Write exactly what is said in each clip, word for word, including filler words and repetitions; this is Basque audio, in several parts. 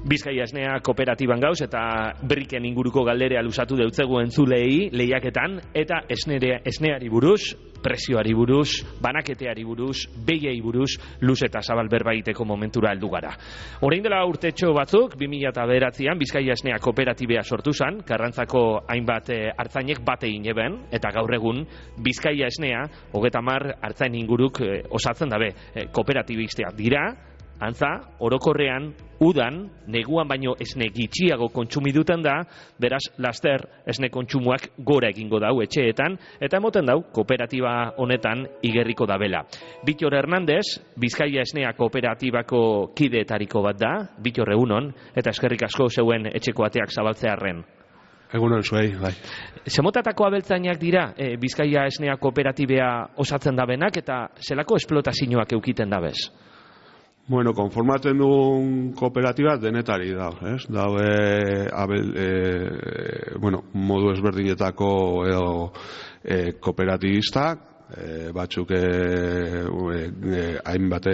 Bizkaia Esnea kooperatiban gauz eta briken inguruko galderea luzatu deutzegu entzulei lehiaketan eta esnere, esneari buruz, prezioari buruz, banaketeari buruz, behiei buruz, luz eta zabal berba egiteko momentura heldu gara. Orain dela urtetxo batzuk, bi mila bederatzian Bizkaia Esnea kooperatibea sortu zen, Karrantzako hainbat e, artzainek bate ineben, eta gaur egun Bizkaia Esnea, hogeita hamar artzain inguruk e, osatzen dabe, e, kooperatibistak dira, antza, orokorrean, udan, neguan baino esne gitxiago kontsumiduten da, beraz, laster esne kontsumoak gora egingo dau etxeetan, eta emoten dau, kooperatiba honetan igerriko dabela. Bitor Hernandez, Bizkaia Esnea kooperatibako kideetariko bat da, Bitor egunon, eta eskerrik asko zeuen etxeko ateak zabaltzearren. Egunon zuei, bai. Zemotatako abeltzainak dira e, Bizkaia Esnea kooperatibea osatzen dabenak, eta zelako esplotazioak eukiten dabez? Bueno, konformatzen duen kooperatiba denetari da, ez? Dau, e, abel, e, bueno, modu ezberdinetako edo e, kooperatibistak, e, batzuk e, e, hainbat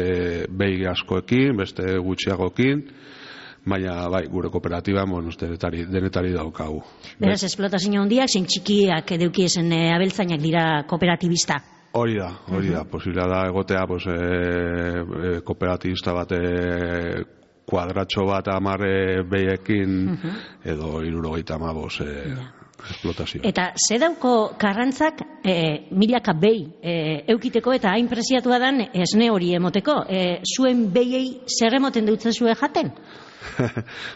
behi askoekin, beste gutxiagokin, baina bai, gure kooperatiba bueno, denetari, denetari daukagu. Beraz, esplotazio handiak, zein txikiak edukiezen e, abeltzainak dira kooperatibista? Hori da, hori da, posiblea da egotea pues, e, e, kooperatibista bat e, kuadratxo bat amarre behiekin uh -huh. edo hirurogeita hamabost e, esplotazio. Eta ze dauko Karrantzak e, milaka behi e, eukiteko eta hain preziatua dan esne hori emoteko, e, zuen behiei zer emoten dutzen zuen jaten?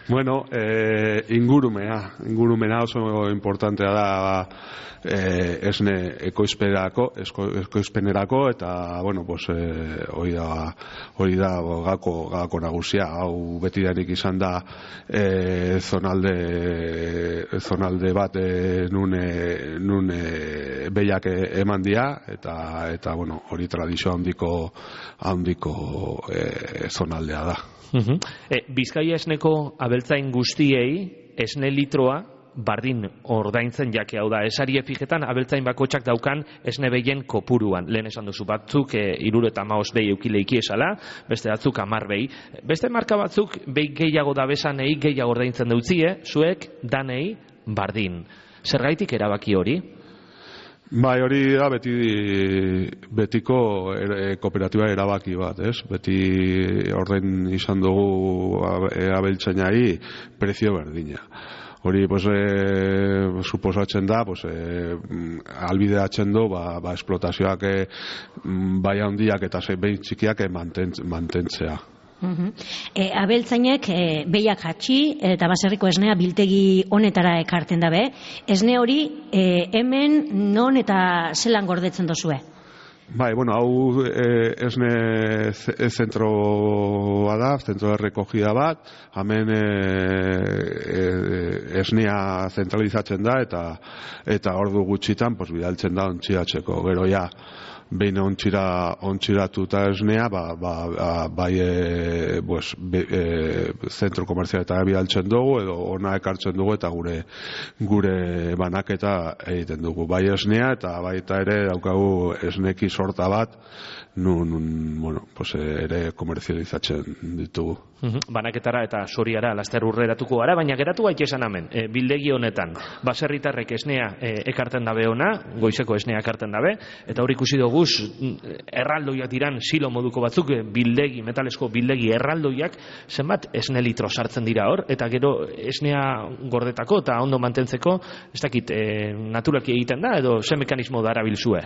Bueno, eh, ingurumea, ingurumena oso importantea da eh, esne ekoizpenerako, ekoizpenerako eta bueno, pues eh, hori da hori da gako gako nagusia, hau betidanik izan da eh, zonalde zonalde bat eh, nun eh, nun eh, behiak eman dira eta eta bueno, hori tradizio handiko handiko eh, zonaldea da. Uh-huh. e, Bizkaia Esneko abeltzain guztiei esne litroa bardin ordaintzen jake, hau da, esari efigetan abeltzain bakotxak daukan esne behien kopuruan. Lehen esan duzu batzuk e, iruro eta maos behi eukileiki esala, beste batzuk amar behi. Beste marka batzuk behi gehiago dabesanei gehiago ordaintzen dutzie, zuek danei bardin. Zergaitik erabaki hori? Bai, hori da beti betiko er, kooperatiba erabaki bat, ez? Beti ordain izan dugu abeltzainari prezio berdina. Hori, pues, e, suposatzen da, pues, e, albideatzen du, ba, ba esplotazioak e, bai handiak eta behin txikiak mantentz, mantentzea. Uh-huh. e, abeltzainek e, behiak jatxi eta baserriko esnea biltegi honetara ekarten dabe. Esne hori e, hemen non eta zelan gordetzen dozue? Bai, bueno, hau e, esne zentroa da, zentro de recogida bat, hemen e, e, esnea zentralizatzen da eta eta ordu gutxitan pues, bidaltzen da ontziatzeko, gero ja behin ontsira, ontsiratuta esnea, ba, ba, bai e, pues, be, e, zentro komerzialetara bidaltzen dugu, edo ona ekartzen dugu eta gure gure banaketa egiten dugu. Bai esnea eta baita ere daukagu esneki sorta bat, nun, nun bueno, pues, ere komerzializatzen ditugu. Uh-huh. Banaketara eta soriara laster urreratuko gara, baina geratu gaite esan hemen, e, bildegi honetan, baserritarrek esnea e, ekarten dabe ona, goizeko esnea ekarten dabe, eta hor ikusi dugu erraldoiak diran silo moduko batzuk, bildegi, metalesko bildegi erraldoiak, zenbat esne litro sartzen dira hor, eta gero esnea gordetako eta ondo mantentzeko, ez dakit, e, naturalki egiten da, edo ze mekanismo dara bilzue?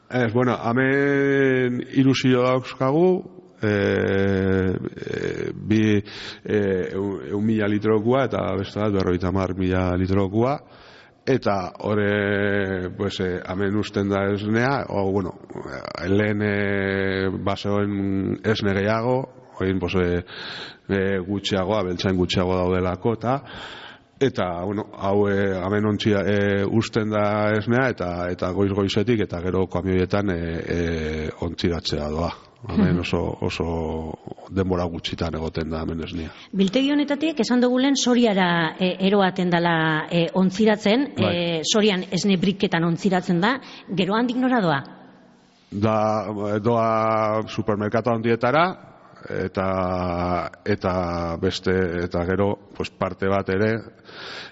Ez, bueno, hemen ilusio dauzkagu, E, e, bi e, un mila litrokua eta beste bat berroita mar mila litrokua eta hori pues, e, hemen usten da esnea o, bueno, lehen e, baseoen esne gehiago oin pues, e, e, gutxiago, abeltzain gutxiago daudelako eta eta, bueno, hau e, hemen ontzia e, usten da esnea eta eta goiz-goizetik eta gero kamioietan e, e, ontziratzea doa. Hemen oso, oso denbora gutxitan egoten da hemen esnea. Biltegi honetatik esan dugu lehen soriara e, eroaten dela e, ontziratzen, bai. e, sorian esne briketan ontziratzen da, gero handik nora doa? Da, doa supermerkatu handietara, eta eta beste eta gero pues parte bat ere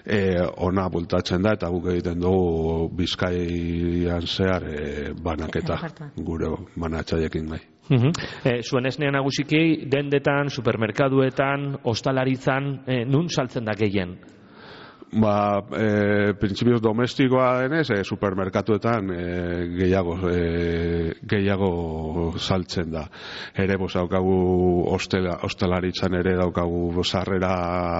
e, ona bultatzen da eta guk egiten dugu Bizkaian zehar e, banaketa gure banatzaileekin gai. Uh-huh. E, zuen esnea nagusiki dendetan, supermerkaduetan, ostalaritzan, e, nun saltzen da gehien? Ba, e, printzipioz domestikoa denez, e, supermerkatuetan e, gehiago e, gehiago saltzen da. Ere, bos, daukagu ostela, ostelaritzan ere daukagu sarrera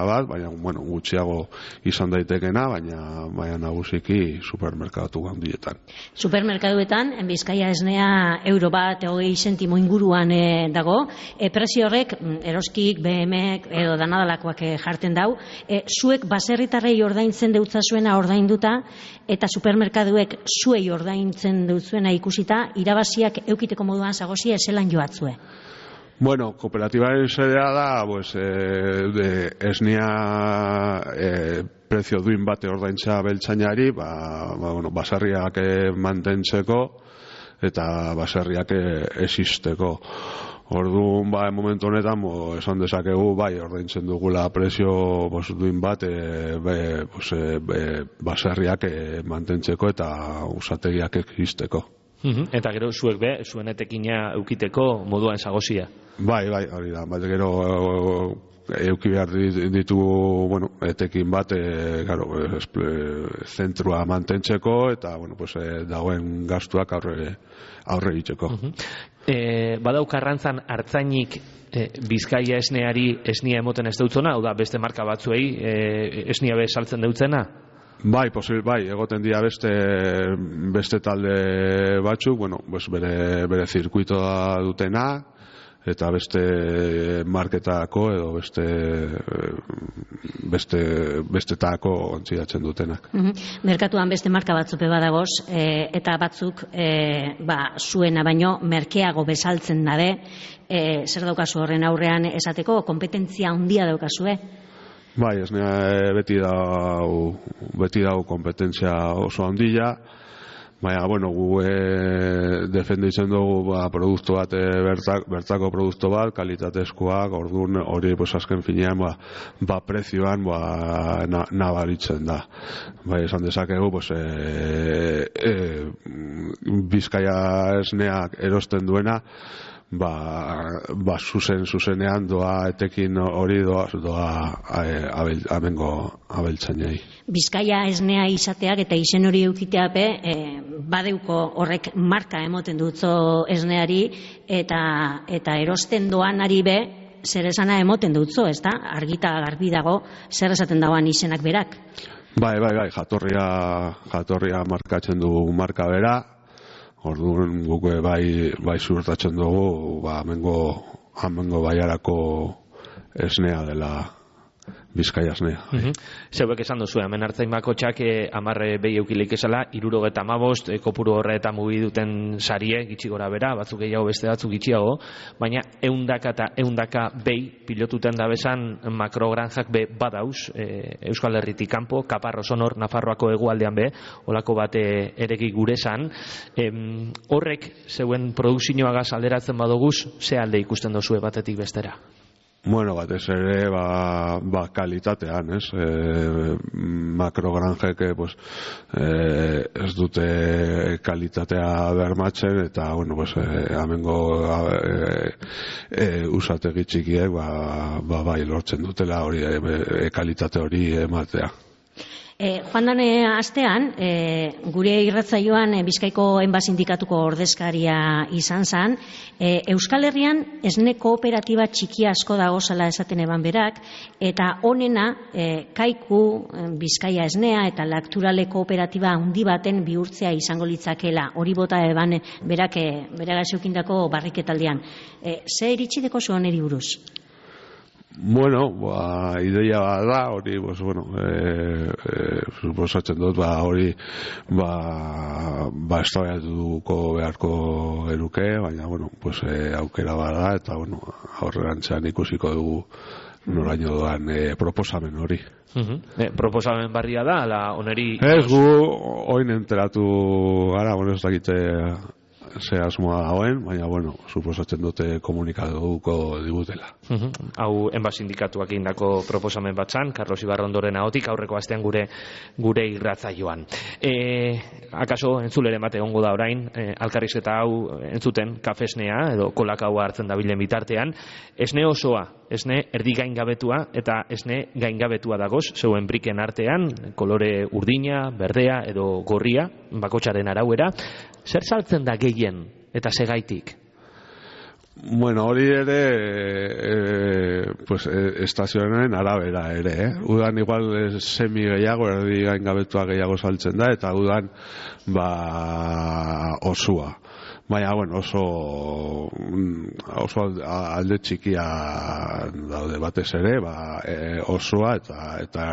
bat, baina, bueno, gutxiago izan daitekena, baina, baina nagusiki supermerkatu handietan. Supermerkatuetan, Bizkaia esnea euro bat, hogei sentimo inguruan e, dago, e, prezio horrek, eroskik, B M-ek, edo danadalakoak e, jarten dau, e, zuek baserritarrei ordaintzen deutzazuena ordainduta eta supermerkaduek zuei ordaintzen deutzuena ikusita irabaziak eukiteko moduan zagozia eselan joatzue. Bueno, kooperatibaren sedea da, pues, eh, de esnea eh, prezio duin bate ordaintza beltzainari, ba, ba, bueno, baserriak mantentzeko eta baserriak existeko. Orduan, ba, momentu honetan, bo, esan dezakegu, bai, ordaintzen dugula prezio bos, duin bat, e, be, bos, e, be, baserriak e, mantentzeko eta usategiak existeko. Uh-huh. Eta gero, zuek be, zuen etekina eukiteko moduan zagozia? Bai, bai, hori da, bat gero euki behar ditu, bueno, etekin bat, e, garo, e, zentrua mantentzeko eta, bueno, pues, e, dagoen gastuak aurre, aurre egiteko. Uh-huh. E, badauk arrantzan hartzainik e, Bizkaia esneari esnia emoten ez dautzona, hau da beste marka batzuei e, esnia be saltzen dautzena? Bai, posibil, bai, egoten dira beste beste talde batzuk, bueno, pues bere, bere zirkuitoa dutena, eta beste marketako edo beste beste bestetako ontzidatzen dutenak. Uh-huh. Merkatuan beste marka batzupe badagoz, e, eta batzuk e, ba, zuena baino merkeago bezaltzen dabe, e, zer daukazu horren aurrean esateko, kompetentzia handia daukazue? Bai, esnea beti dau beti dau kompetentzia oso handia. Baina, bueno, gu e, defenditzen dugu ba, produktu bat, e, bertak, bertako produktu bat, kalitatezkoak, orduan hori pues, azken finean ba, ba prezioan ba, na, nabaritzen da. Bai, esan dezakegu, pues, e, e, Bizkaia esneak erosten duena, ba, ba zuzen zuzenean doa etekin hori doa, doa abel, amengo abeltzainei. Bizkaia esnea izateak eta izen hori eukiteape e, badeuko horrek marka emoten dutzo esneari eta eta erosten doanari be zer esana emoten dutzo, ezta? Argita garbi dago zer esaten dagoan izenak berak. Bai, bai, bai, jatorria jatorria markatzen du marka bera. Orduan guk bai bai ziurtatzen dugu, ba hemengo hemengo baiarako esnea dela Bizkaia esnea. Uh-huh. Zeuek esan duzu, hemen hartzain bakotxak hamar behi eukilik esala, hirurogeita hamabost kopuru horretan mugi duten sarie, gitxi gora bera, batzuk gehiago beste batzuk gitxiago, baina eundaka eta eundaka behi pilotuten da bezan makrogranjak be badauz, e, Euskal Herritik kanpo, Kaparro Sonor, Nafarroako hegoaldean be, olako bat e, eregi gure zan. E, horrek, zeuen produkzioagaz alderatzen badoguz, ze alde ikusten dozue batetik bestera? Bueno, batez ere, ba, ba kalitatean, ez? E, makrogranjek, pues, e, ez dute kalitatea bermatzen, eta, bueno, pues, e, amengo e, e, usategi txikiek, ba, ba, bai, lortzen dutela hori, e, e, kalitate hori ematea. E, joan dane astean, e, gure irratzaioan e, Bizkaiko Enba Sindikatuko ordezkaria izan zan, e, Euskal Herrian esne kooperatiba txiki asko dagozala esaten eban berak, eta honena e, Kaiku, e, Bizkaia esnea eta Lakturale kooperatiba handi baten bihurtzea izango litzakela, hori bota eban berak e, beragaz eukindako barriketaldean. E, ze iritsideko zuen eri buruz? Bueno, ba, ideia da, hori, pues, bueno, e, e, suposatzen dut, ba, hori, ba, ba, eztabaiatuko beharko geruke, baina, bueno, pues, e, aukera bada, eta, bueno, aurrerantzean ikusiko dugu noraino doan e, proposamen hori. Uh-huh. E, proposamen barria da, ala oneri... Ez gu, oin enteratu gara, bueno, ez dakite ze asmoa dagoen, baina, bueno, suposatzen dute komunikatuko digutela. Uh-huh. Hau, enba sindikatuak egindako proposamen batzan, Carlos Ibarrondoren ahotik aurreko astean gure gure irratzaioan. E, akaso entzuleren bat egongo da orain, e, alkarrizketa hau entzuten kafesnea edo kolakaua hartzen dabilen bitartean, esne osoa, esne erdi gaingabetua eta esne gaingabetua dagoz, zeuen briken artean, kolore urdina, berdea edo gorria, bakotsaren arauera, zer saltzen da gehien eta segaitik? Bueno, hori ere e, pues, e, estazioaren arabera ere, eh? Udan igual semi gehiago, erdi gaingabetua gehiago saltzen da, eta udan ba osua. Baina, bueno, oso oso alde txikia daude batez ere, ba, e, osua eta eta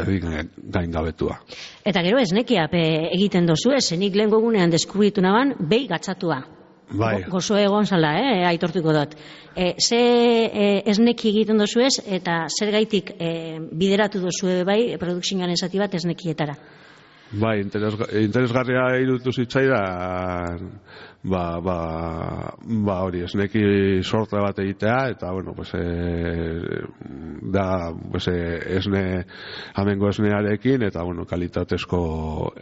erdi gaingabetua. Eta gero esnekia egiten dozu, esenik lehen gogunean deskubritu naban, behi gatzatua. Bai. Gozo egon zala, eh, aitortuko dut. E, ze e, esneki egiten dozu ez, eta zer gaitik e, bideratu dozu bai, produkzioan esati bat esnekietara? Bai, interes, interesgarria irutu zitzaidan, ba, ba, ba hori, esneki sorte bat egitea, eta, bueno, pues, e, da, pues, e, esne, amengo esnearekin, eta, bueno, kalitatezko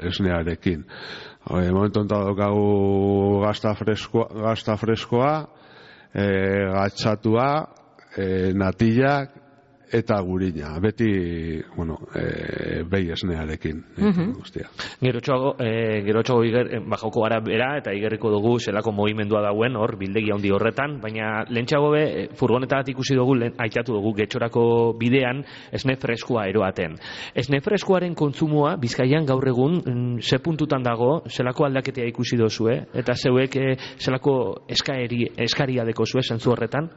esnearekin. Hori, momentu enta daukagu gazta freskoa, gazta freskoa, e, gatxatua, e, natillak, eta gurina, beti, bueno, e, behi esnearekin, uh-huh. guztia. Gerotxoago, e, gerotxoago iger, bajoko gara bera, eta igerriko dugu zelako movimendua dauen, hor, bildegi handi horretan, baina lehentxeago be, furgonetat ikusi dugu, lehen, aitatu dugu, getxorako bidean, esne freskoa eroaten. Esne freskoaren kontsumoa, Bizkaian gaur egun, ze puntutan dago, zelako aldaketea ikusi dozue, eta zeuek e, zelako eskaeri, eskaria deko zue, zentzu horretan?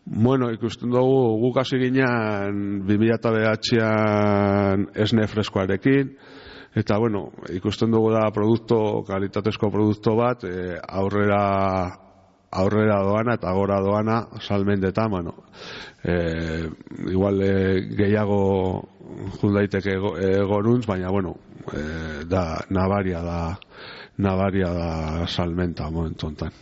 Bueno, ikusten dugu guk hasi ginean bi mila bederatzian esne freskoarekin, eta bueno, ikusten dugu da produkto, kalitatezko produktu bat, e, aurrera aurrera doana eta gora doana salmendetan, bueno, e, igual e, gehiago jundaiteke goruntz, baina bueno, e, da nabaria da nabaria da salmenta momentu hontan.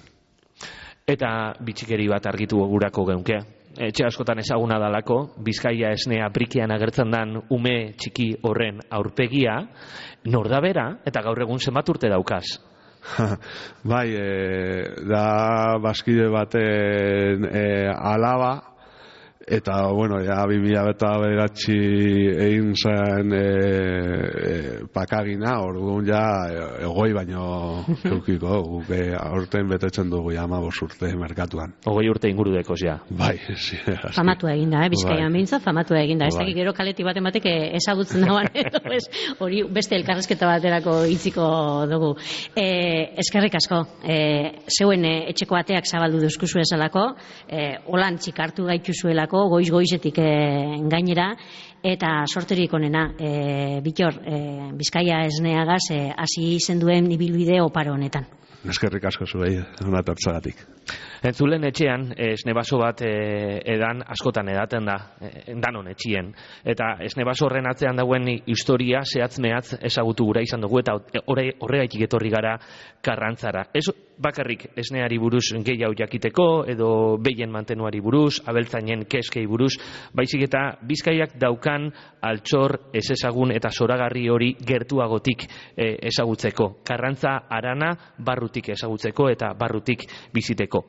Eta bitxikeri bat argitu gurako geunke. Etxe askotan ezaguna dalako, Bizkaia esnea brikean agertzen dan ume txiki horren aurpegia, nor da bera, eta gaur egun zenbat urte daukaz? Bai, e, da bazkide baten e, alaba, eta, bueno, ja, bi mila bederatzi egin zen e, e, pakagina, orduan ja, egoi baino eukiko, guk e, aurten betetzen dugu ja hamabost urte merkatuan. Ogoi urte inguru dekoz, ja. Bai, sí. Famatua eginda, eh, Bizkaian bai. Mintza, famatua eginda. Ez bai. dakik gero kaleti baten batek ezagutzen dagoan, hori beste elkarrezketa baterako hitziko dugu. E, eskerrik asko, e, zeuen e, etxeko ateak zabaldu duzkuzu esalako, e, holan txikartu gaituzuelako, goiz-goizetik e, gainera, eta sorterik onena, e, Bitor, e, Bizkaia esneagaz hasi e, izen duen ibilbide oparo honetan. Eskerrik asko zuei, ona tortzagatik. Entzulen etxean, esnebaso bat e, edan askotan edaten da, e, danon etxien. Eta esnebaso horren atzean dauen historia, zehatz mehatz ezagutu gura izan dugu, eta horregaitik etorri gara Karrantzara. Ez bakarrik esneari buruz gehiago jakiteko, edo behien mantenuari buruz, abeltzainen keskei buruz, baizik eta Bizkaiak daukan altxor ez ezagun eta zoragarri hori gertuagotik e, ezagutzeko. Karrantza harana barrutik ezagutzeko eta barrutik biziteko.